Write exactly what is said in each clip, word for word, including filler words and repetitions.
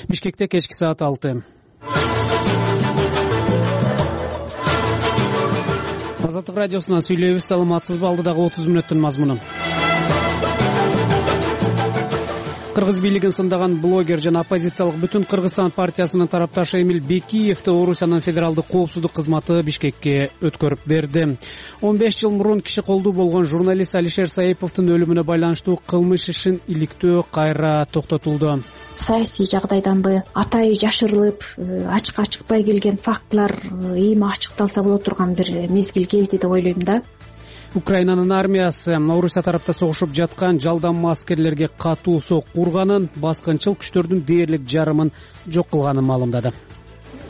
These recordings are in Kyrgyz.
Бишкекте кечки саат алты. Азаттык радиосунан сүйлөйбүз. Саламатсызбы? Алдыдагы отуз мүнөттүн мазмуну. Кыргыз бийлигин сындаган блогер жана оппозициялык Бүтүн Кыргызстан партиясынын тарапташы Эмиль Бекиевди Орусиянын федералдык коопсуздук кызматы Бишкекке өткөрүп берди. он беш жыл мурун киши колдуу болгон журналист Алишер Саиповдун өлүмүнө байланыштуу кылмыш ишин иликтөө кайра токтотулду. Саясий жагдайданбы атайы жашырылып, ачыкка чыкпай келген фактылар эми ачыкталса боло турган бир мезгил келди деп ойлойм да. Украинанын армиясы Орусия тарапта согушуп жаткан жалданма аскерлерге катуу сок курганын, баскынчыл күчтөрдүн дээрлик жарымын жок кылганын маалымдады.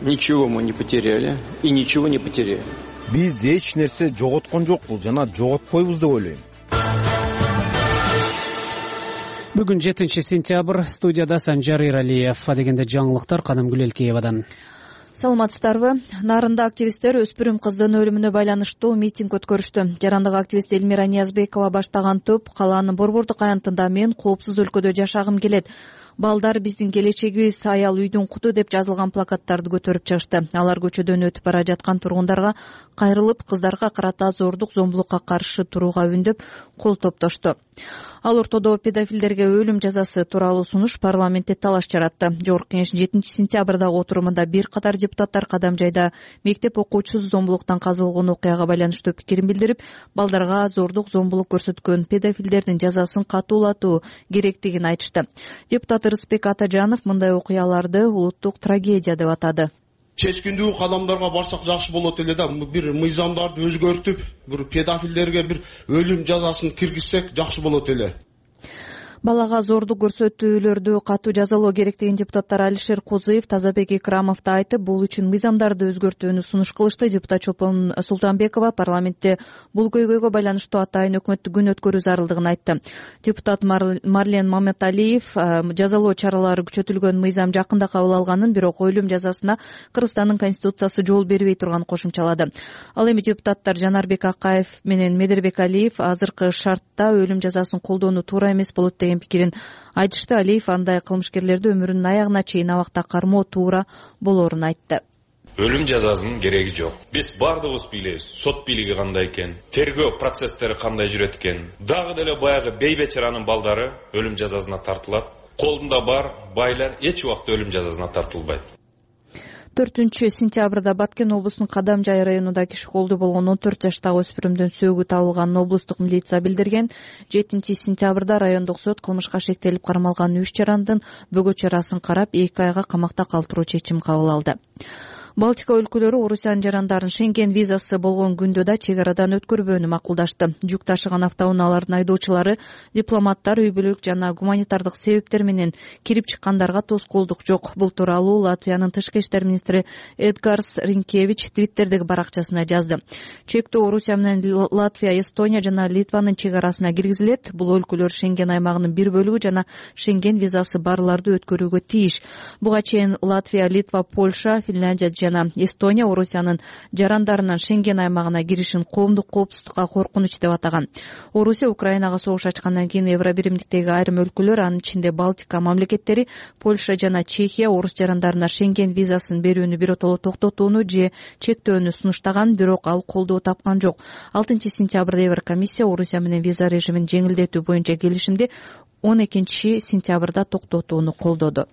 Ничего мы не потеряли и ничего не потеряем. Биз эч нерсе жоготкон жокпуз жана жоготпойбуз деп ойлойм. Бүгүн жетинчи сентябрь, студияда Санжар Иралиев. Дегенде жаңылыктар Канымгүл Элкеевадан. Саламатсыздарбы? Нарында активисттер өспүрүм кыздын өлүмүнө байланыштуу митинг өткөрүштү. Жарандык активист Элмира Ниязбекова баштаган топ калаанын борбордук аянтында мен коопсуз өлкөдө жашагым келет, балдар биздин келечегибиз, аял үйдүн куту деп жазылган плакаттарды көтөрүп чыгышты. Алар көчөдөн өтүп бара жаткан тургундарга кайрылып, кыздарга карата зордук зомбулукка каршы турууга үндөп, кол топтошту. Ал ортодо педофилдерге өлүм жазасы тууралуу сунуш парламентте талаш жаратты. Жогорку Кеңеш жетинчи сентябрдагы отурумунда бир катар депутаттар Кадам жайда мектеп окуучусу зомбулуктан каза болгон окуяга байланыштуу пикирин билдирип, балдарга зордук зомбулук көрсөткөн педофилдердин жазасын катуулатуу керектигин айтышты. Депутат Рыспек Атажанов мындай окуяларды улуттук трагедия деп атады. Чечкиндүү кадамдарга барсак жакшы болот эле да, бир мыйзамдарды өзгөртүп, бир педофилдерге бир өлүм жазасын киргизсек жакшы болот эле. Балага зордук көрсөтүүлөрдү катуу жазалоо керек деген депутаттар Алишер Козуев, Тазабек Икрамов да айтып, бул үчүн мыйзамдарды өзгөртүүнү сунуш кылышты. Депутат Чолпон Султанбекова парламентте бул көйгөйгө байланыштуу атайын өкмөттүк күн өткөрүү зарылдыгын айтты. Депутат Марлен Маматалиев жазалоо чаралары күчөтүлгөн мыйзам жакында кабыл алганын, бирок өлүм жазасына Кыргызстандын конституциясы жол бербей турганын кошумчалады. Ал эми депутаттар Жанарбек Акаев менен Медербек Алиев азыркы шартта өлүм жазасын колдоону туура эмес болот деген пикирин айтышты. Алиев андай кылмышкерлерди өмүрүнүн аягына чейин абакта кармоо туура болоорун айтты. Өлүм жазасынын кереги жок. Биз бардыгыбыз билебиз, сот бийлиги кандай экен, тергөө процесстери кандай жүрөт экен. Дагы деле баягы бейбечаранын балдары өлүм жазасына тартылат. Колунда бар байлар эч убакта өлүм жазасына тартылбайт. төртүнчү сентябрда Баткен облусунун Кадамжай районунда киши колдуу болгон он төрт жаштагы өспүрүмдүн сөөгү табылганын облустук милиция билдирген. жетинчи сентябрда райондук сот кылмышка шектелип кармалган үч жарандын бөгөө чарасын карап, эки айга камакта калтыруу чечим кабыл алды. Балтика өлкөлөрү Орусиянын жарандарын Шенген визасы болгон күндө да чек арадан өткөрбөөнү макулдашты. Жүк ташыган автоунаалардын айдоочулары, дипломаттар үй бүлөлүк жана гуманитардык себептер менен кирип чыккандарга тоскоолдук жок. Бул тууралуу Латвиянын тышкы иштер министри Эдгарс Ринкевич Твиттердеги баракчасына жазды. Чектөө Орусия менен Латвия, Эстония жана Литванын чек арасына киргизилет. Бул өлкөлөр Шенген аймагынын бир бөлүгү жана Шенген визасы барларды өткөрүүгө тийиш. Буга чейин Латвия, Литва, Польша, Финляндия жана Эстония Орусиянын жарандарынын Шенген аймагына киришин коомдук коопсуздукка коркунуч деп атаган. Орусия Украинага согуш ачкандан кийин Евробиримдиктеги айрым өлкөлөр, анын ичинде Балтика мамлекеттери, Польша жана Чехия орус жарандарына Шенген визасын берүүнү биротоло токтотууну же чектөөнү сунуштаган, бирок ал колдоо тапкан жок. алтынчы сентябрда Еврокомиссия Орусия менен виза режимин жеңилдетүү боюнча келишимди он экинчи сентябрда токтотууну колдоду.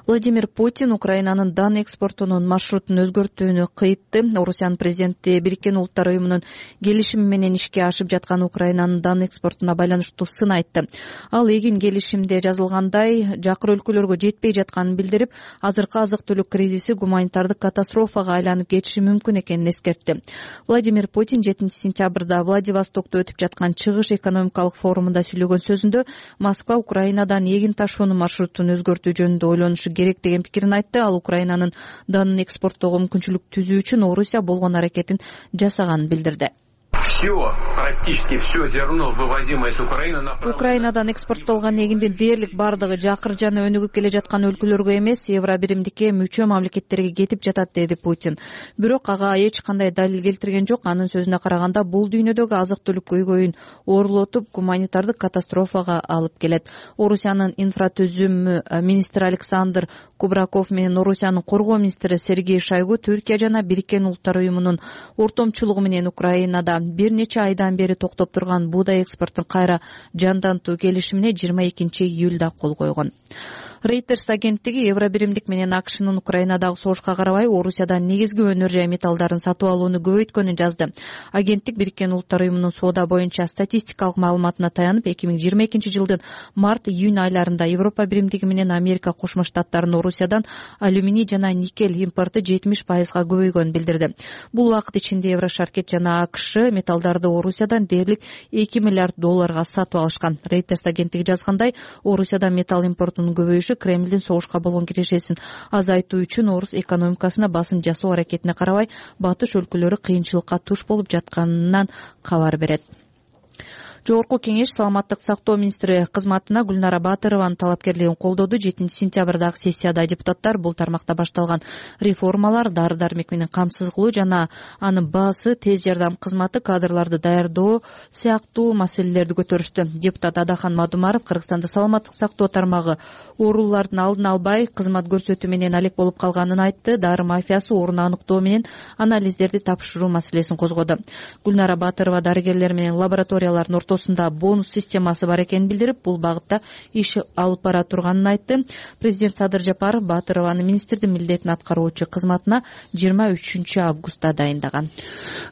Владимир Путин Украинанын дан экспортунун маршрутун өзгөртүүнү кыйтты. Орусиянын президенти Бириккен Улуттар уюмунун келишими менен ишке ашып жаткан Украинанын дан экспортуна байланыштуу сын айтты. Ал эгин келишимде жазылгандай жакыр өлкөлөргө жетпей жатканын билдирип, азыркы азык-түлүк кризиси гуманитардык катастрофага айланып кетиши мүмкүн экенин эскертти. Владимир Путин жетинчи сентябрда Владивостокто өтүп жаткан чыгыш экономикалык форумунда сүйлөгөн сөзүндө Москва Украинадан эгин ташуунун маршрутун өзгөртүү жөнүндө ойлонушу керек деген пикирин айтты. Ал Украинанын данын экспорттоого мүмкүнчүлүк түзүү үчүн Орусия болгон аракетин жасаганын билдирди. все, практически все зерно, вывозимое с Украины, направлено... Украинадан экспорттолгон эгиндин дээрлик бардыгы жакыр жана өнүгүп келе жаткан өлкөлөргө эмес, Евро биримдикке мүчө мамлекеттерге кетип жатат, деди Путин. Бирок ага эч кандай далил келтирген жок. Анын сөзүнө караганда, бул дүйнөдөгү азык-түлүк көйгөйүн оорулотуп, гуманитардык катастрофага алып келет. Орусиянын инфратүзүм министри Александр Кубраков менен Орусиянын коргоо министри Сергей Шойгу Түркия жана Бириккен Улуттар уюмунун ортомчулугу менен Украинада бир нече айдан бери токтоп турган буудай экспортун кайра жандантуу келишимине жыйырма экинчи июлда кол койгон. Reuters агенттиги Евро биримдик менен АКШнын Украинадагы согушка карабай Орусиядан негизги өнөр жай металлдарын сатып алууну көбөйткөнүн жазды. Агенттик Бириккен Улуттар уюмунун соода боюнча статистикалык маалыматына таянып, эки миң жыйырма экинчи жылдын март-июнь айларында Европа биримдиги менен Америка Кошмо Штаттарынын Орусиядан алюминий жана никель импорту жетимиш пайызга көбөйгөнүн билдирди. Бул убакыт ичинде Еврошаркет жана АКШ металлдарды Орусиядан дээрлик эки миллиард долларга сатып алышкан. Reuters агенттиги жазгандай, Орусиядан металл импортунун көбөйүшү Кремлдин согушка болгон кирешесин азайтуу үчүн орус экономикасына басым жасоо аракетине карабай, батыш өлкөлөрү кыйынчылыкка туш болуп жатканынан кабар берет. Жогорку кеңеш саламаттык сактоо министри кызматына Гүлнара Батырованын талапкерлигин колдоду. жетинчи сентябрдагы сессияда депутаттар бул тармакта башталган реформалар, дары-дармек менен камсыз кылуу жана анын баасы, тез жардам кызматы, кадрларды даярдоо сыяктуу маселелерди көтөрүштү. Депутат Адахан Мадумаров Кыргызстанда саламаттык сактоо тармагы оорулардын алдын албай, кызмат көрсөтүү менен алек болуп калганын айтты. Дары мафиясы орун аныктоо менен анализдерди тапшыруу маселесин козгоду. Гүлнара Батырова дарыгерлер менен лабораториялардын ортосунда бонус системасы бар экенин билдирип, бул багытта иш алып бара турганын айтты. Президент Садыр Жапаров Батырованын министрдин милдетин аткаруучу кызматына жыйырма үчүнчү августта дайындаган.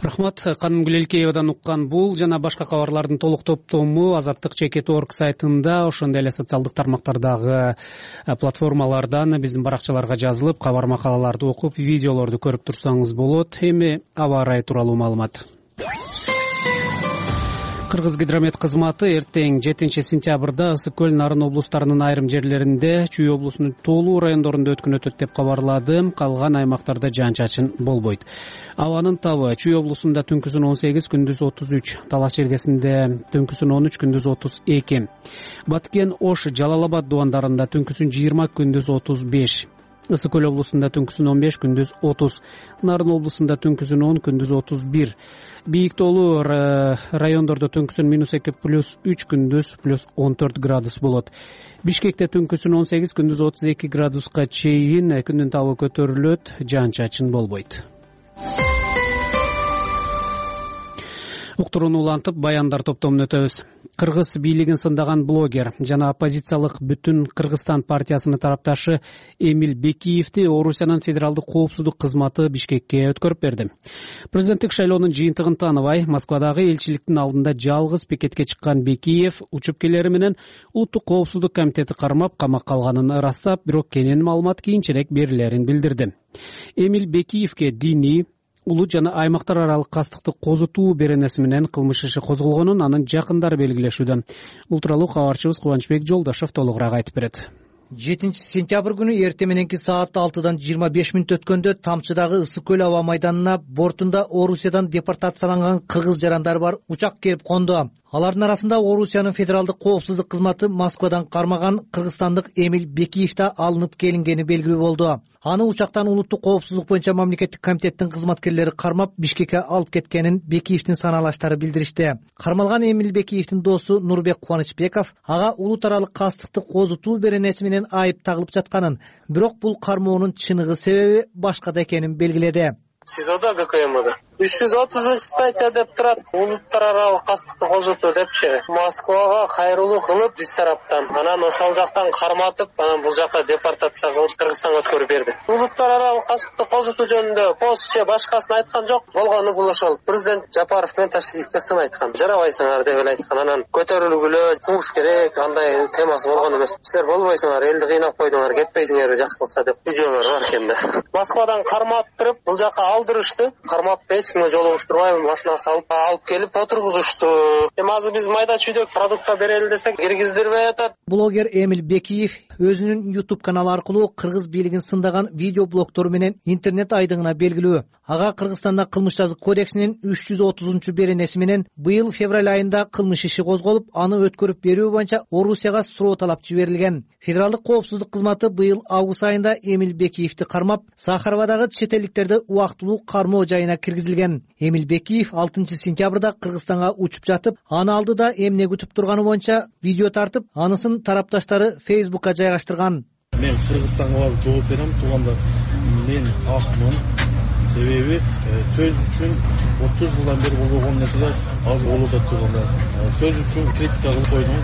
Рахмат. Каным Гүлелкеевадан уккан бул жана башка кабарлардын толук топтому азаттык чекит точка орг сайтында, ошондой эле социалдык тармактардагы платформалардан биздин баракчаларга жазылып, кабар макалаларды окуп, видеолорду көрүп турсаңыз болот. Эми аба ырайы тууралуу маалымат. Кыргыз гидромет кызматы эртең жетинчи сентябрда Ысык көл, Нарын облустарынын айрым жерлеринде, Чүй облусунун толуу райондорунда өткөн өтөт деп кабарлады. Калган аймактарда жаан-чачын болбойт. Абанын табы Чүй облусунда түнкүсүн он сегиз, күндүз отуз үч, Талас желгесинде түнкүсүн он үч, күндүз отуз эки. Баткен, Ош, Жалал Абад дубандарында түнкүсүн жыйырма, күндүз отуз беш. Ысык көл облусунда түнкүсүн он беш, күндүз отуз. Нарын облусунда түнкүсүн он, күндүз отуз бир. Бийик тоолуу райондордо түнкүсүн минус эки, плюс үч, күндүз плюс он төрт градус болот. Бишкекте түнкүсүн он сегиз, күндүз отуз эки градуска чейин, күндүн табы көтөрүлөт, жаан-чачын болбойт. Уктурууну улантып, баяндар топтомун өтөбүз. Кыргыз бийлигин сындаган блогер жана оппозициялык Бүтүн Кыргызстан партиясынын тарапташы Эмиль Бекиевди Орусиянын федералдык коопсуздук кызматы Бишкекке өткөрүп берди. Президенттик шайлоонун жыйынтыгын тааныбай, Москвадагы элчиликтин алдында жалгыз пикетке чыккан Бекиев учупкелери менен Улуттук коопсуздук комитети кармап, камакка алганын ырастап, бирок кенен маалымат кийинчерээк берилерин билдирди. Эмиль Бекиевге диний, улут жана аймактар аралык кастыкты козутуу беренеси менен кылмыш иши козголгонун анын жакындары белгилешүүдө. Бул тууралуу кабарчыбыз Кубанычбек Жолдошов толугураак айтып берет. жетинчи сентябрь күнү эртең мененки саат алтыдан жыйырма беш мүнөт өткөндө Тамчыдагы Ысык көл аба майданына бортунда Орусиядан депортацияланган кыргыз жарандары бар учак келип конду. Алардын арасында Орусиянын федералдык коопсуздук кызматы Москвадан кармаган кыргызстандык Эмиль Бекиев да алынып келингени белгилүү болду. Аны учактан Улуттук коопсуздук боюнча мамлекеттик комитеттин кызматкерлери кармап Бишкекке алып кеткенин Бекиевдин санаалаштары билдиришти. Кармалган Эмиль Бекиевдин досу Нурбек Кубанычбеков ага улут аралык кастыкты козутуу беренеси менен айып тагылып жатканын, бирок бул кармоонун чыныгы себеби башкада экенин белгиледи. СИЗОдо ГКМда үч жүз отузунчу статья деп турат. Улуттар аралык кастыкты козутуу депчи. Москвага кайрылуу кылып биз тараптан, анан ошол жактан карматып, анан бул жакка депортация кылып Кыргызстанга өткөрүп берди. Улуттар аралык кастыкты козутуу жөнүндө пост же башкасын айткан жок. Болгону бул ошол президент Жапаров менен Ташиевке сын айткан. Жарабайсыңар деп эле айткан. Анан көтөрүлгүлө, кууш керек, андай темасы болгон эмес. Силер болбойсуңар, элди кыйнап койдуңар, кетпейсиңер жакшылыкса деп видеолор бар экен да. Москвадан карматтырып, бул жакка алдырышты. Кармап эч кимге жолугуштурбай машинага салып алып келип отургузушту. Эми азыр биз майда чүйдөк продукта берели десек киргиздирбей атат. Блогер Эмиль Бекиев өзүнүн YouTube каналы аркылуу кыргыз бийлигин сындаган видео блогтору менен интернет айдыңына белгилүү. Ага Кыргызстанда кылмыш жазык кодексинин үч жүз отузунчу беренеси менен быйыл февраль айында кылмыш иши козголуп, аны өткөрүп берүү боюнча Орусияга суроо талап жиберилген. Федералдык коопсуздук кызматы быйыл август айында Эмиль Бекиевди кармап, Сахаровадагы чет элдиктерди убактылуу кармоо жайына киргизилген. Эмиль Бекиев алтынчы сентябрда Кыргызстанга учуп жатып, аны алдыда эмне күтүп турганы боюнча видео тартып, анысын тарапташтары Facebook'ка жайгаштырган. Мен Кыргызстанга барып жооп берем, туугандар. Мен акмын. Себеби сөз үчүн отуз жылдан бери болгон нерселер азыр болуп атат туугандар. Сөз үчүн критика кылып койдум.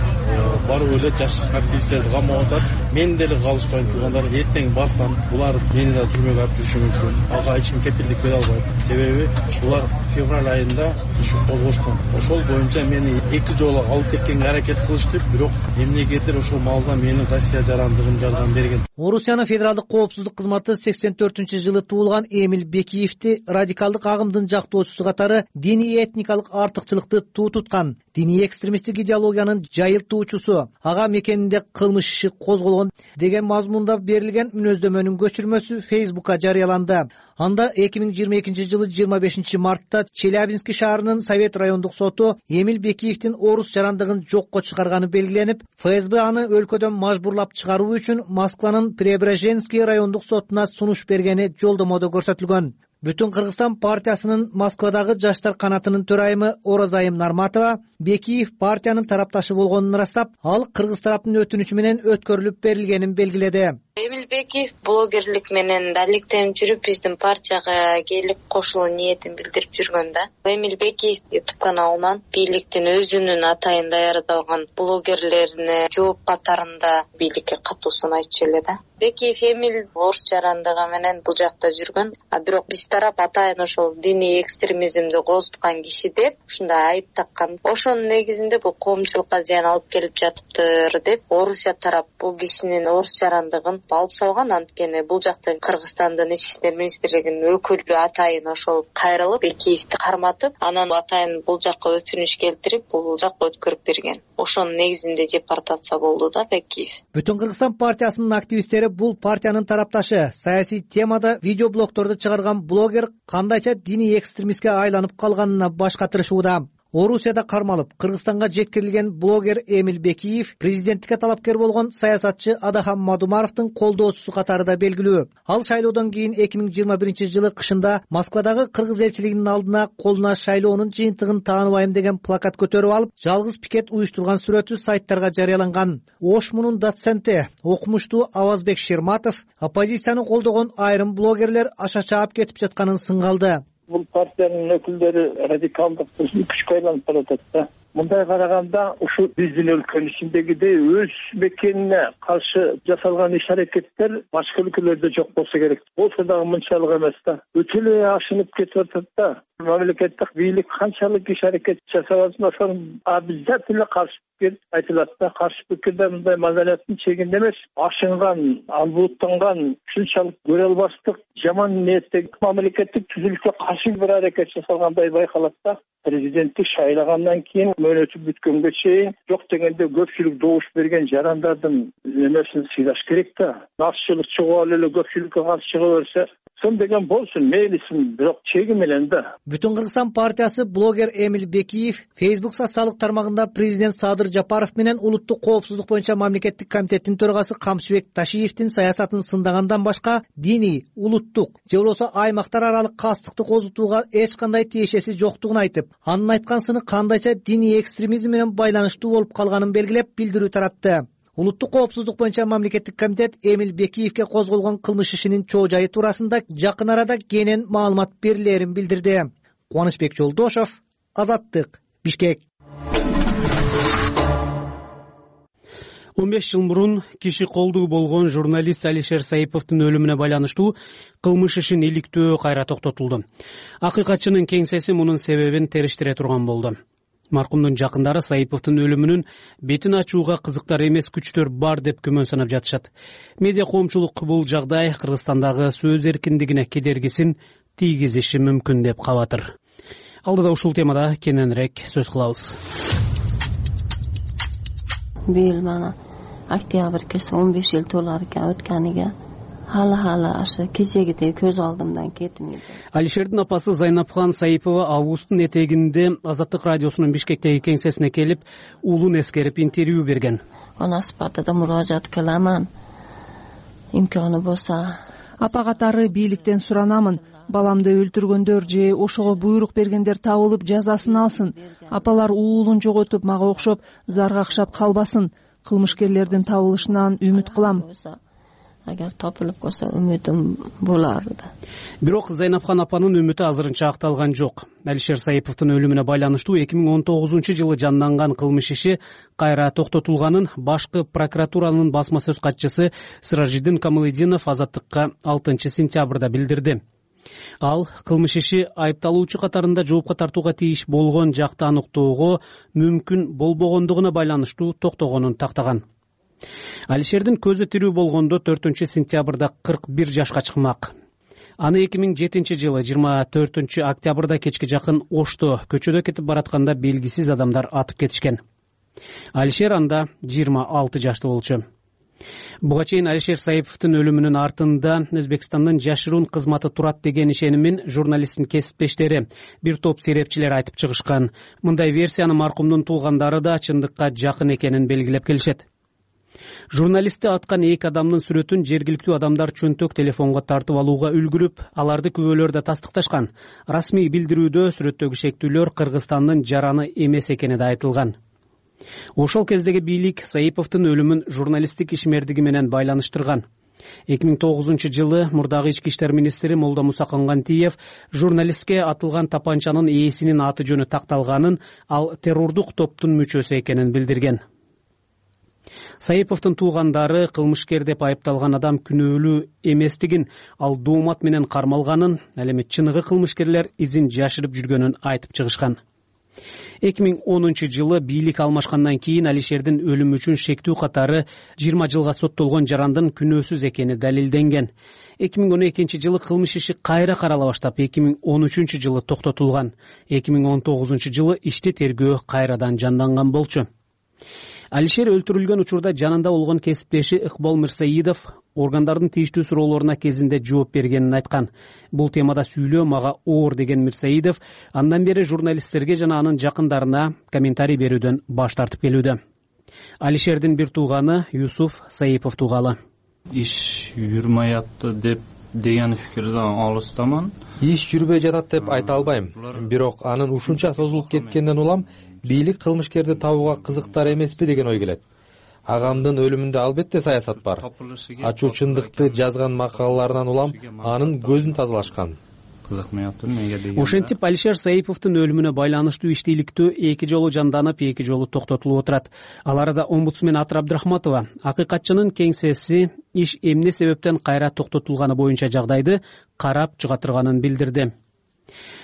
Барып эле жаш активисттерди камап атат. Мен деле калышпайм туугандар. Эртең барсам, булар мени да түрмөгө алып жүрүшү мүмкүн. Ага эч ким кепилдик бере албайт. Себеби булар февраль айында иш козгошкон. Ошол боюнча мени эки жолу алып кеткенге аракет кылышты, бирок эмнегедир ошол маалда менин Россия жарандыгым жардам берген. Орусиянын федералдык коопсуздук кызматы сексен төртүнчү жылы туулган Эмиль Бекиевди радикалдык агымдын жактоочусу катары диний этникалык артыкчылыкты туу туткан, диний экстремисттик идеологиянын жайылтуучусу, ага мекенинде кылмыш иши козголгон деген мазмунда берилген мүнөздөмөнүн көчүрмөсү Facebook'ка жарыяланды. Анда эки миң жыйырма экинчи жылы жыйырма бешинчи мартта Челябинский шаарынын Совет райондук соту Эмиль Бекиевдин орус жарандыгын жокко чыгарганы белгиленип, ФСБ аны өлкөдөн мажбурлап чыгаруу үчүн Москванын Преображенский райондук сотуна сунуш бергени жолдомодо көрсөтүлгөн. Бүтүн Кыргызстан партиясынын Москвадагы жаштар канатынын төрайымы Оразайым Нарматова Бекиев партиянын тарапташы болгонун ырастап, ал кыргыз тараптын өтүнүчү менен өткөрүлүп берилгенин белгиледи. Эмиль Бекиев блогерлик менен далилектенип жүрүп, биздин партияга келип кошулуу ниетин билдирип жүргөн да. Эмиль Бекиев YouTube каналынан бийликтин өзүнүн атайын даярдалган блогерлерине жооп катарында бийликке катуусун айтчу эле да. Бекиев Эмиль орус жарандыгы менен бул жакта жүргөн, а бирок биз тарап атайын ошол диний экстремизмди козуткан киши деп ушундай айып таккан. Ошонун негизинде бул коомчулукка зыян алып келип жатыптыр деп Орусия тарап бул кишинин орус жарандыгын алып салган. Анткени бул жакта Кыргызстандын ички иштер министрлигинин өкүлү атайын ошол кайрылып Бекиевди карматып, анан атайын бул жакка өтүнүч келтирип, бул жакка өткөрүп берген. Ошонун негизинде депортация болду да Бекиев. Бүтүн Кыргызстан партиясынын активисттери бул партиянын тарапташы, саясий темада видеоблогторду чыгарган блогер кандайча диний экстремистке айланып калганына баш катырышууда. Орусияда кармалып, Кыргызстанга жеткирилген блогер Эмиль Бекиев президенттикке талапкер болгон саясатчы Адахам Мадумаровдун колдоочусу катарында белгилүү. Ал шайлоодон кийин эки миң жыйырма биринчи жылы кышында Москвадагы кыргыз элчилигинин алдына колуна шайлоонун жыйынтыгын тааныбайм деген плакат көтөрүп алып, жалгыз пикет уюштурган сүрөтү сайттарга жарыяланган. Ошмунун доценти, окумуштуу Авазбек Шерматов оппозицияны колдогон айрым блогерлер аша чаап кетип жатканын сыңгалды. Бул партиянын өкүлдөрү радикалдык күчкө айланып баратат да. Мындай караганда ушу биздин өлкөнүн ичиндегидей өз мекенине каршы жасалган иш-аракеттер башка өлкөлөрдө жок болсо керек. Болсо дагы мынчалык эмес да. Өтө эле ашынып кетип атат да. Мамлекеттик бийлик канчалык иш-аракет жасап атса, ошону обязательно каршы пикир айтылат да. Каршы пикирде мындай мазалаттын чегинде эмес, ашынган, албууттанган, ушунчалык көрө албастык, жаман ниеттеги мамлекеттик түзүлүшкө каршы бир аракет жасалгандай байкалат да. Президенттик шайлагандан кийин мөөнөтү бүткөнгө чейин жок дегенде көпчүлүк добуш берген жарандардын эмесин сыйлаш керек да. Акчылык чыгып эле көпчүлүккө каршы чыга берсе, сон деген болсун, мейлисин, бирок чеги менен да. Бүтүн Кыргызстан партиясы блогер Эмиль Бекиев Facebook социалдык тармагында президент Садыр Жапаров менен улуттук коопсуздук боюнча мамлекеттик комитеттин төрагасы Камчыбек Ташиевдин саясатын сындагандан башка диний, улуттук же болбосо аймактар аралык кастыкты козутууга эч кандай тиешеси жоктугун айтып, анын айткансыны кандайча диний экстремизм менен байланыштуу болуп калганын белгилеп билдирүү таратты. Улуттук коопсуздук боюнча мамлекеттик комитет Эмиль Бекиевке козголгон кылмыш ишинин чоо жайы туурасында жакын арада кенен маалымат берилерин билдирди. Кубанычбек Жолдошов, Азаттык, Бишкек. он беш жыл мурун киши колдуу болгон журналист Алишер Саиповдун өлүмүнө байланыштуу кылмыш ишин иликтөө кайра токтотулду. Акыйкатчынын кеңсеси мунун себебин териштире турган болду. Маркумдун жакындары Саиповдун өлүмүнүн бетин ачууга кызыктар эмес күчтөр бар деп күмөн санап жатышат. Медиа коомчулук бул жагдай Кыргызстандагы сөз эркиндигине кедергисин тийгизиши мүмкүн деп кабатыр. Алдыда ушул темада кененирээк сөз кылабыз. Быйыл мана октябрь келсе он беш жыл толар экен өткөнүгө. Hala hala aşı kechegidey көз алдымдан кетмейди. Алишердин апасы Зайнапхан Саипова августтун этегинде Азаттык радиосунун Бишкектеги кеңсесине келип, уулун эскерип интервью берген. Ана сыпатыда муражаат кыламан. Имканы болса, апа катары бийликтен суранамын. Баламды өлтүргөндөр же ошого буйрук бергендер табылып жазасын алсын. Апалар уулун жоготуп мага окшоп заргакшап калбасын. Кылмышкерлердин табылышынан үмүт кылам. Agar topilib qolsa ümidim bo'lardi. Бирок Зайнапхан апанын үмүтү азырынча акталган жок. Алишер Саиповдун өлүмүнө байланыштуу эки миң он тогузунчу жылы жанданган кылмыш иши кайра токтотулганын башкы прокуратуранын басма сөз катчысы Сиражиддин Камалетдинов Азаттыкка алтынчы сентябрда билдирди. Ал кылмыш иши айыпталуучу катарында жоопко тартууга тийиш болгон жакты аныктоого мүмкүн болбогондугуна байланыштуу токтогонун тактаган. Алишердин көзү тирүү болгондо төртүнчү сентябрда кырк бир жашка чыкмак. Аны эки миң жетинчи жылы жыйырма төртүнчү октябрда кечке жакын Ошто көчөдө кетип баратканда белгисиз адамдар атып кетишкен. Алишер анда жыйырма алты жашта болчу. Буга чейин Алишер Саиповдун өлүмүнүн артында Өзбекстандын жашыруун кызматы турат деген ишенимин журналисттин кесиптештери, бир топ серепчилер айтып чыгышкан. Мындай версияны маркумдун туугандары да чындыкка жакын экенин белгилеп келишет. Журналистти аткан эки адамдын сүрөтүн жергиликтүү адамдар чөнтөк телефонго тартып алууга үлгүрүп, аларды күбөлөр да тастыкташкан. Расмий билдирүүдө сүрөттөгү шектүүлөр Кыргызстандын жараны эмес экени да айтылган. Ошол кездеги бийлик Саиповдун өлүмүн журналисттик ишмердиги менен байланыштырган. эки миң тогузунчу жылы мурдагы ички иштер министри Молдомуса Кангантиев журналистке атылган тапанчанын ээсинин аты жөнү такталганын, ал террордук топтун мүчөсү экенин билдирген. Саиповдун туугандары кылмышкер деп айыпталган адам күнөөлүү эместигин, ал доомат менен кармалганын, ал эми чыныгы кылмышкерлер изин жашырып жүргөнүн айтып чыгышкан. эки миң онунчу жылы бийлик алмашкандан кийин Алишердин өлүмү үчүн шектүү катары жыйырма жылга соттолгон жарандын күнөөсүз экени далилденген. эки миң он экинчи жылы кылмыш иши кайра карала баштап, эки миң он үчүнчү жылы токтотулган. эки миң он тогузунчу жылы ишти тергөө кайрадан жанданган болчу. Алишер өлтүрүлгөн учурда жанында болгон кесиптеши Ыкбол Мирсаидов органдардын тийиштүү суроолоруна кезинде жооп бергенин айткан. Бул темада сүйлөө мага оор деген Мирсаидов андан бери журналисттерге жана анын жакындарына комментарий берүүдөн баш тартып келүүдө. Алишердин бир тууганы Юсуф Саипов туугалы. Иш жүрмөй атты деп деген фикирден алыстаман. Иш жүрбөй жатат деп айта албайм. Бирок анын ушунча созулуп кеткенден улам бийлик кылмышкерди табууга кызыктар эмеспи деген ой келет. Агамдын өлүмүндө албетте саясат бар. Ачуу чындыкты жазган макалаларынан улам анын көзүн тазалашкан. Ошентип Алишер Саиповдун өлүмүнө байланыштуу иштейликтөө эки жолу жанданып, эки жолу токтотулуп отурат. Ал арада омбудсмен Атыр Абдрахматова акыйкатчынын кеңсеси иш эмне себептен кайра токтотулганы боюнча жагдайды карап чыгатырганын билдирди.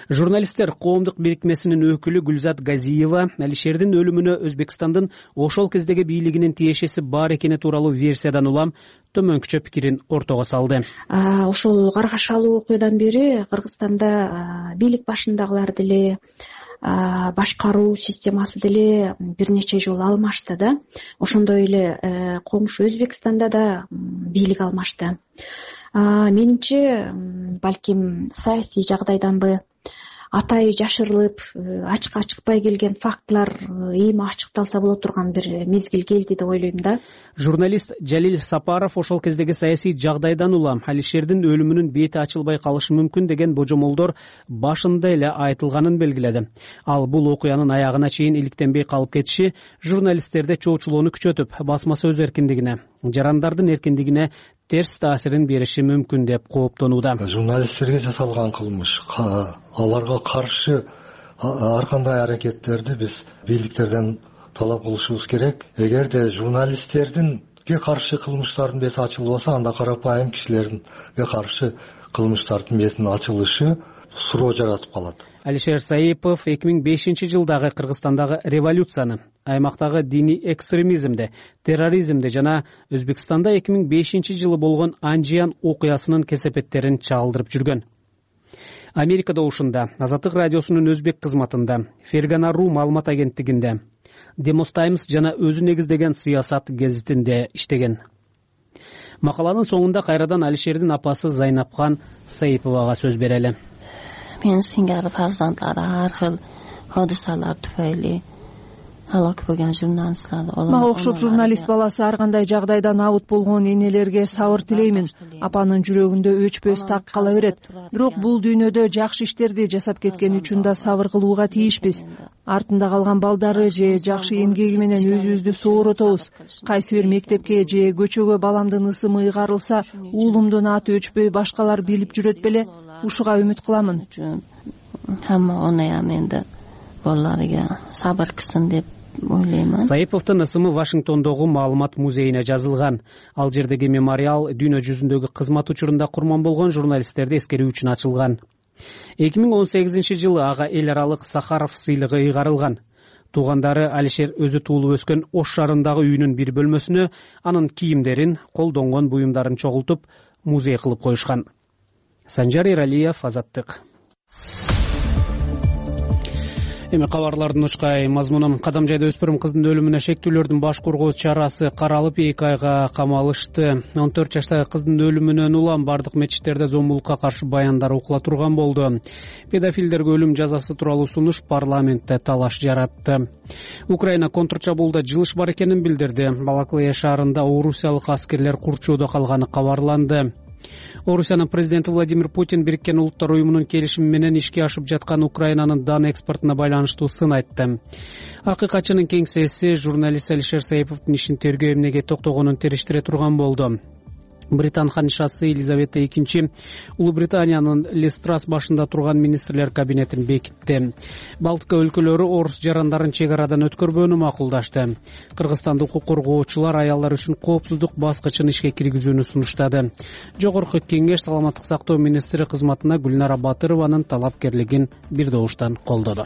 Журналисттер коомдук бирикмесинин өкүлү Гүлзат Газиева Алишердин өлүмүнө Өзбекстандын ошол кездеги бийлигинин тиешеси бар экени тууралуу версиядан улам төмөнкүчө пикирин ортого салды. Ошол каргашалуу окуядан бери Кыргызстанда бийлик башындагылар деле, башкаруу системасы деле бир нече жолу алмашты да. Ошондой эле комушу Өзбекстанда да бийлик алмашты. Менимче, балким саясий жагдайданбы, атайы жашырылып, ачыкка чыкпай келген фактылар эми ачыкталса боло турган бир мезгил келди деп ойлойм да. Журналист Жалил Сапаров ошол кездеги саясий жагдайдан улам Алишердин өлүмүнүн бети ачылбай калышы мүмкүн деген божомолдор башында эле айтылганын белгиледи. Ал бул окуянын аягына чейин иликтенбей калып кетиши журналисттерде чоочулоону күчөтүп, басма сөз эркиндигине, жарандардын эркиндигине терс таасирин бериши мүмкүн деп кооптонууда. Журналисттерге жасалган кылмыш, аларга каршы ар кандай аракеттерди биз бийликтерден талап кылышыбыз керек. Эгерде журналисттердинге каршы кылмыштардын бети ачылбаса, анда карапайым кишилерге каршы кылмыштардын бетинин ачылышы суроо жаратып калат. Алишер Саипов эки миң бешинчи жылдагы Кыргызстандагы революцияны, аймактагы диний экстремизмди, терроризмди жана Өзбекстанда эки миң бешинчи жылы болгон Анжиян окуясынын кесепеттерин чагылдырып жүргөн. Америка добушунда, Азаттык радиосунун өзбек кызматында, Фергана Ру маалымат агенттигинде, Demos Times жана өзү негиздеген Сыясат гезитинде иштеген. Макаланын соңунда кайрадан Алишердин апасы Зайнапхан Саиповага сөз берели. Мен сиңгары фарзандлары ар хил hodisалар туфайли алак болгон журналистлер. Мага окшоп журналист баласы ар кандай жагдайдан абут болгон энелерге сабыр тилеймин. Апанын жүрөгүндө өчпөс так кала берет. Бирок бул дүйнөдө жакшы иштерди жасап кеткен үчүн да сабыр кылууга тийишпиз. Артында калган балдары же жакшы эмгеги менен өзүбүздү сооротобуз. Кайсы бир мектепке же көчөгө баламдын ысымы ыйгарылса, уулумдун аты өчпөй башкалар билип жүрөт беле? Ушуга үмүт кыламын. Хамма оная менде балдарга сабыр кылсын деп ойлоймун. Саиповдун ысымы Вашингтондогу маалымат музейине жазылган. Ал жердеги мемориал дүйнө жүзүндөгү кызмат учурунда курман болгон журналисттерди эскерүү үчүн ачылган. эки миң он сегизинчи жылы ага эл аралык Сахаров сыйлыгы ыйгарылган. Туугандары Алишер өзү туулуп өскөн Ош шаарындагы үйүнүн бир бөлмөсүнө анын кийимдерин, колдонгон буюмдарын чогултуп, музей кылып коюшкан. Санжар Эралиев, Азаттык. Эми кабарлардын учкай мазмунун Кадам жайда өспүрүм кыздын өлүмүнө шектүүлөрдүн баш коргоо чарасы каралып эки айга камалышты. он төрт жаштагы кыздын өлүмүнөн улам бардык мечиттерде зомбулукка каршы баяндар окула турган болду. Педофилдерге өлүм жазасы тууралуу сунуш парламентте талаш жаратты. Украина контрчабуулда жылыш бар экенин билдирди. Балаклыя шаарында орусиялык аскерлер курчоодо калганы кабарланды. Орусиянын президенти Владимир Путин Бириккен Улуттар уюмунун келишими менен ишке ашып жаткан Украинанын дан экспортуна байланыштуу сын айтты. Акыйкатчынын кеңсеси журналист Алишер Саиповдун ишин тергөө эмнеге токтогонун териштире турган болду. Британ ханышасы Елизавета экинчи Улуу Британиянын Лестрас башында турган министрлер кабинетин бекитти. Балтика өлкөлөрү орус жарандарын чек арадан өткөрбөөнү макулдашты. Кыргызстандык укук коргоочулар аялдар үчүн коопсуздук баскычын ишке киргизүүнү сунуштады. Жогорку кеңеш саламаттык сактоо министри кызматына Гүлнара Батырованын талапкерлигин бир добуштан колдоду.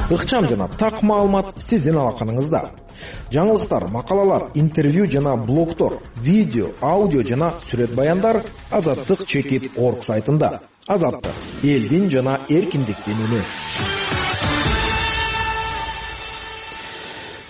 Ыкчам жана так маалымат сиздин алаканыңызда. Жаңылыктар, макалалар, интервью жана блогтор, видео, аудио жана сүрөт баяндар Азаттык чекит орг сайтында. Азаттык — элдин жана эркиндиктин үнү.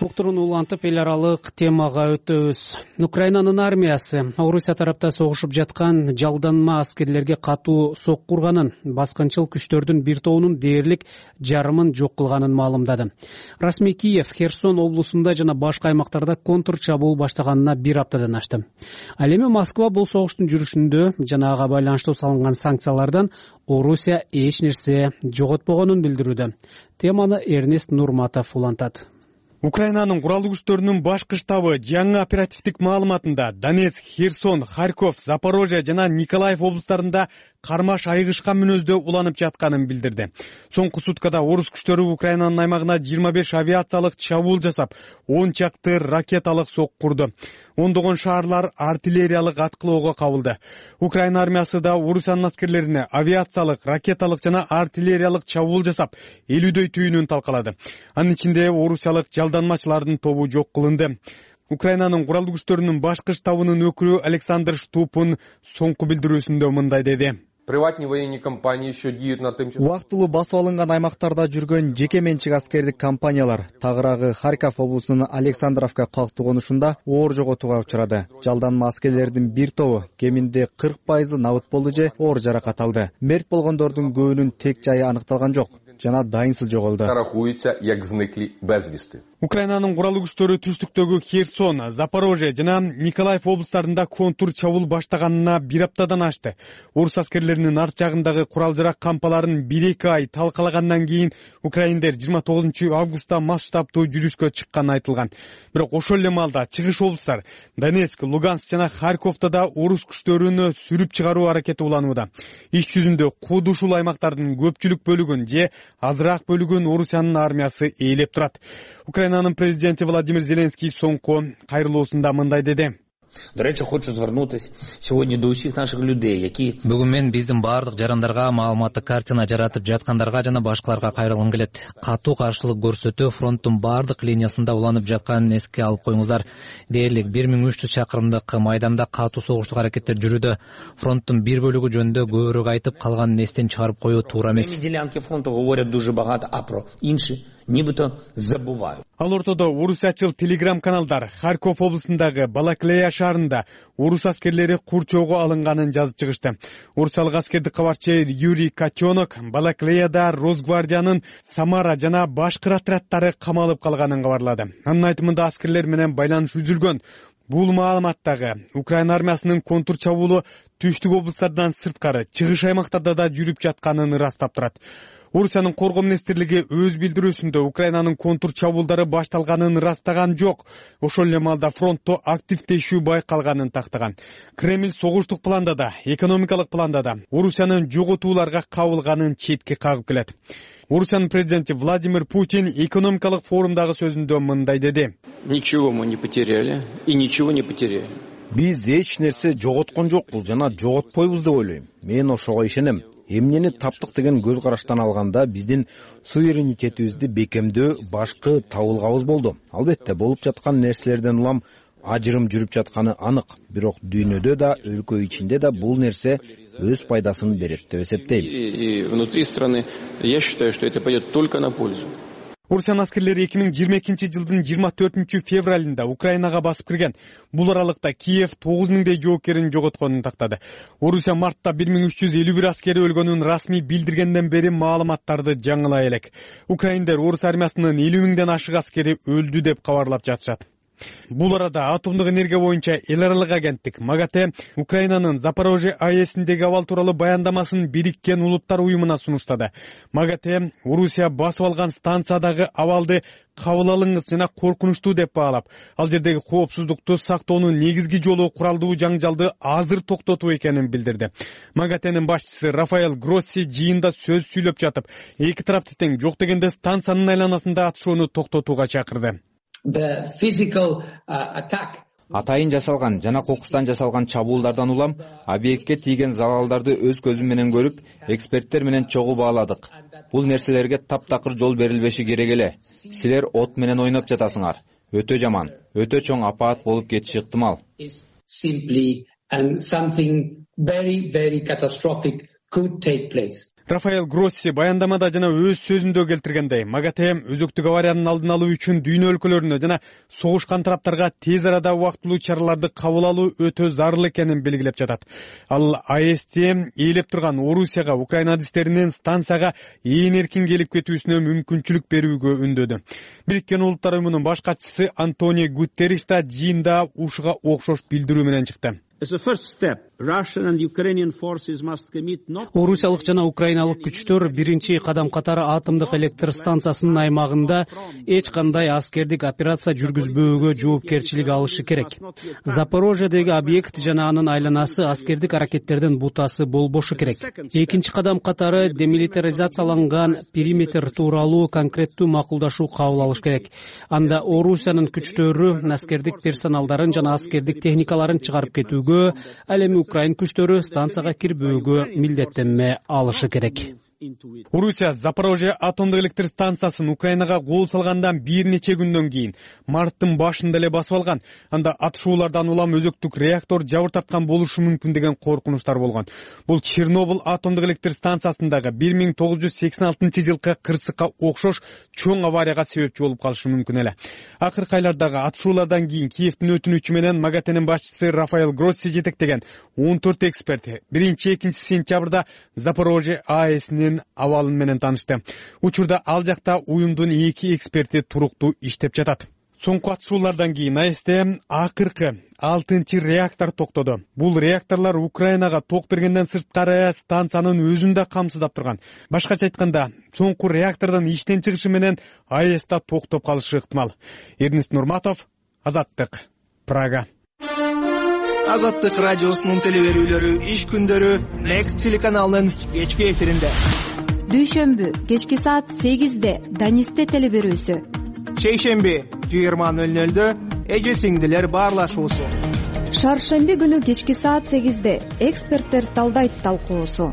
Уктурууну улантып эл аралык темага өтөбүз. Украинанын армиясы Орусия тарапта согушуп жаткан жалданма аскерлерге катуу сок курганын, баскынчыл күчтөрдүн бир тобунун дээрлик жарымын жок кылганын маалымдады. Расмий Киев Херсон облусунда жана башка аймактарда контрчабуул баштаганына бир аптадан ашты. Ал эми Москва бул согуштун жүрүшүндө жана ага байланыштуу салынган санкциялардан Орусия эч нерсе жоготпогонун билдирүүдө. Теманы Эрнест Нурматов улантат. Украинанын куралдуу күчтөрүнүн башкы штабы жаңы оперативдик маалыматында Донецк, Херсон, Харьков, Запорожье жана Николаев облустарында кармаш айыгышкан мүнөздө уланып жатканын билдирди. Соңку суткада орус күчтөрү Украинанын аймагына жыйырма беш авиациялык чабуул жасап, он чакты ракеталык сок курду. Ондогон шаарлар артиллериялык аткылоого кабылды. Украина армиясы да Орусиянын аскерлерине авиациялык, ракеталык жана артиллериялык чабуул жасап, элүүдөй түйүнүн талкалады. Анын ичинде орусиялык жалданмачылардын тобу жок кылынды. Украинанын куралдуу күчтөрүнүн башкы штабынын өкүлү Александр Штупун соңку билдирүүсүндө мындай деди. Убактылуу басып алынган аймактарда жүргөн жеке менчик аскердик компаниялар тагыраагы Харьков облусунун Александровка калктуу конушунда оор жоготууга учурады. Жалданма аскерлердин бир тобу кеминде кырк пайызы набыт болду же оор жаракат алды. Мерт болгондордун көбүнүн тек жайы аныкталган жок жана дайынсыз жоголду. Украинанын куралдуу күчтөрү түштүктөгү Херсон, Запорожье жана Николаев облустарында контур чабуул баштаганына бир аптадан ашты. Орус аскерлеринин арт жагындагы курал-жарак кампаларын бир эки ай талкалагандан кийин украиндер жыйырма тогузунчу августта масштабтуу жүрүшкө чыкканы айтылган. Бирок ошол эле маалда чыгыш облустар Донецк, Луганск жана Харьковдо да орус күчтөрүнү сүрүп чыгаруу аракети уланууда. Иш жүзүндө кууд ушул аймактардын көпчүлүк бөлүгүн же азыраак бөлүгүн Орусиянын армиясы ээлеп турат. Украинанын президенти Владимир Зеленский соңку кайрылуусунда мындай деди. До речі, хочу звернутися сьогодні до усіх наших людей, які... Бүгүн мен биздин баардык жарандарга маалыматтык картина жаратып жаткандарга жана башкаларга кайрылгым келет. Катуу каршылык көрсөтүү фронттун баардык линиясында уланып жатканын эске алып коюңуздар. Дээрлик бир миң үч жүз чакырымдык майданда катуу согуштук аракеттер жүрүүдө. Фронттун бир бөлүгү жөнүндө көбүрөөк айтып, калганын эстен чыгарып коюу туура эмес. Ділянки фронту говорять дуже багато, а про інші нібито забувають. Ал ортодо орусячыл телеграм-каналдар Харьков облусундагы Балаклея шаарында орус аскерлери курчоого алынганын жазып чыгышты. Орусиялык аскердик кабарчы Юрий Котенок Балаклеяда Росгвардиянын Самара жана башкы отряддары камалып калганын кабарлады. Анын айтымында аскерлер менен байланыш үзүлгөн. Бул маалыматтагы Украина армиясынын контур чабуулу түштүк облустардан сырткары чыгыш аймактарда да жүрүп жатканын ырастап турат. Орусиянын коргоо министрлиги өз билдирүүсүндө Украинанын контур чабуулдары башталганын ырастаган жок. Ошол эле маалда фронтто активдешүү байкалганын тактаган. Кремль согуштук планда да, экономикалык планда да Орусиянын жоготууларга кабылганын четке кагып келет. Орусиянын президенти Владимир Путин экономикалык форумдагы сөзүндө мындай деди. Ничего мы не потеряли и ничего не потеряем. Биз эч нерсе жоготкон жокпуз жана жоготпойбуз деп ойлойм. Мен ошого ишенем. Эмнени таптык деген көз караштан алганда биздин суверенитетибизди бекемдөө башкы табылгабыз болду. Албетте болуп жаткан нерселерден улам ажырым жүрүп жатканы анык. Бирок дүйнөдө да, өлкө ичинде да бул нерсе өз пайдасын берет деп эсептейм. И внутри страны я считаю, что это пойдет только на пользу. Орусиянын аскерлери эки миң жыйырма экинчи жылдын жыйырма төртүнчү февралында Украинага басып кирген. Бул аралыкта Киев тогуз миңдей жоокерин жоготконун тактады. Орусия мартта бир миң үч жүз элүү бир аскери өлгөнүн расмий билдиргенден бери маалыматтарды жаңылай элек. Украиндер орус армиясынын элүү миңден ашык аскери өлдү деп кабарлап жатышат. Бул арада атомдук энергия боюнча эл аралык агенттик МАГАТЭ Украинанын Запорожье АЭСиндеги абал тууралуу баяндамасын Бириккен Улуттар уюмуна сунуштады. МАГАТЭ Орусия басып алган станциядагы абалды кабыл алынгыс жана коркунучтуу деп баалап, ал жердеги коопсуздукту сактоонун негизги жолу куралдуу жаңжалды азыр токтотуу экенин билдирди. МАГАТЭнин башчысы Рафаэль Гросси жыйында сөз сүйлөп жатып, эки тарапты тең жок дегенде станциянын айланасында атышууну токтотууга чакырды. Атайын жасалган жана кокустан жасалган чабуулдардан улам объектке тийген залалдарды өз көзүм менен көрүп, эксперттер менен чогуу бааладык. Бул нерселерге таптакыр жол берилбеши керек эле. Силер от менен ойноп жатасыңар. Өтө жаман, өтө чоң апаат болуп кетиши ыктымал. Рафаэль Гросси баяндамада жана өз сөзүндө келтиргендей, МАГАТЭ өзөктүк авариянын алдын алуу үчүн дүйнө өлкөлөрүнө жана согушкан тараптарга тез арада убактылуу чараларды кабыл алуу өтө зарыл экенин белгилеп жатат. Ал АЭСти ээлеп турган Орусияга Украина адистеринин станцияга ээн эркин келип кетүүсүнө мүмкүнчүлүк берүүгө үндөдү. Бириккен Улуттар уюмунун баш катчысы Антонио Гутерриш да жыйында ушуга окшош билдирүү менен чыкты. Орусиялык жана украиналык күчтөр биринчи кадам катары атомдук электр станциясынын аймагында эч кандай аскердик операция жүргүзбөөгө жоопкерчилик алышы керек. Запорожьедеги объект жана анын айланасы аскердик аракеттердин бутасы болбошу керек. Экинчи кадам катары демилитаризацияланган периметр тууралуу конкреттүү макулдашуу кабыл алыш керек. Анда Орусиянын күчтөрү аскердик персоналдарын жана аскердик техникаларын чыгарып кетүүгө, ал эми Украин күчтөрү станцияга кирбөөгө милдеттенме алышы керек. Орусия Запорожье атомдук электр станциясын Украинага кол салгандан бир нече күндөн кийин марттын башында эле басып алган. Анда атышуулардан улам өзөктүк реактор жабыр тарткан болушу мүмкүн деген коркунучтар болгон. Бул Чернобыль атомдук электр станциясындагы бир миң тогуз жүз сексен алтынчы жылкы кырсыкка окшош чоң аварияга себепчи болуп калышы мүмкүн эле. Акыркы айлардагы атышуулардан кийин Киевдин өтүнүчү менен МАГАТЭнин башчысы Рафаэль Гросси жетектеген он төрт эксперт биринчи экинчи сентябрда Запорожье АЭСинин абалын менен таанышты. Учурда ал жакта уюмдун эки эксперти туруктуу иштеп жатат. Соңку атышуулардан кийин АЭСте акыркы алтынчы реактор токтоду. Бул реакторлор Украинага ток бергенден сырткары станциянын өзүн да камсыздап турган. Башкача айтканда, соңку реактордун иштен чыгышы менен АЭСте токтоп калышы ыктымал. Эрнест Нурматов, Азаттык, Прага. Азаттык радиосунун телеберүүлөрү иш күндөрү Next телеканалынын кечки эфиринде. Дүйшөмбү кечки саат сегизде Данисте телеберүүсү. Шейшемби жыйырма нөл нөлдө эже сиңдилер баарлашуусу. Шаршемби күнү кечки саат сегизде эксперттер талдайт талкуусу.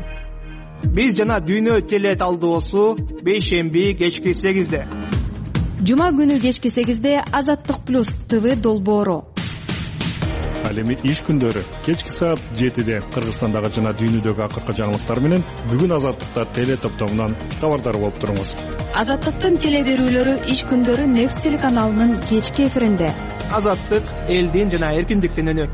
Биз жана дүйнө теле талдоосу бейшемби кечки сегизде. Жума күнү кечки сегизде Азаттык плюс ТВ долбоору. Ал эми иш күндөрү кечки саат жетиде Кыргызстандагы жана дүйнөдөгү акыркы жаңылыктар менен бүгүн Азаттыкта теле топтомунан кабардар болуп туруңуз. Азаттыктын теле берүүлөрү иш күндөрү Next телеканалынын кечки эфиринде. Азаттык элдин жана эркиндиктин үнү.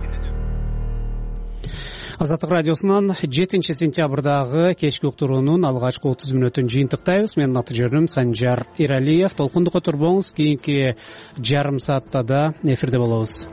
Азаттык радиосунан жетинчи сентябрдагы кечки уктуруунун алгачкы отуз мүнөтүн жыйынтыктайбыз. Менин аты жөнүм Санжар Иралиев. Толкунду которбоңуз, кийинки жарым саатта да эфирде болобуз.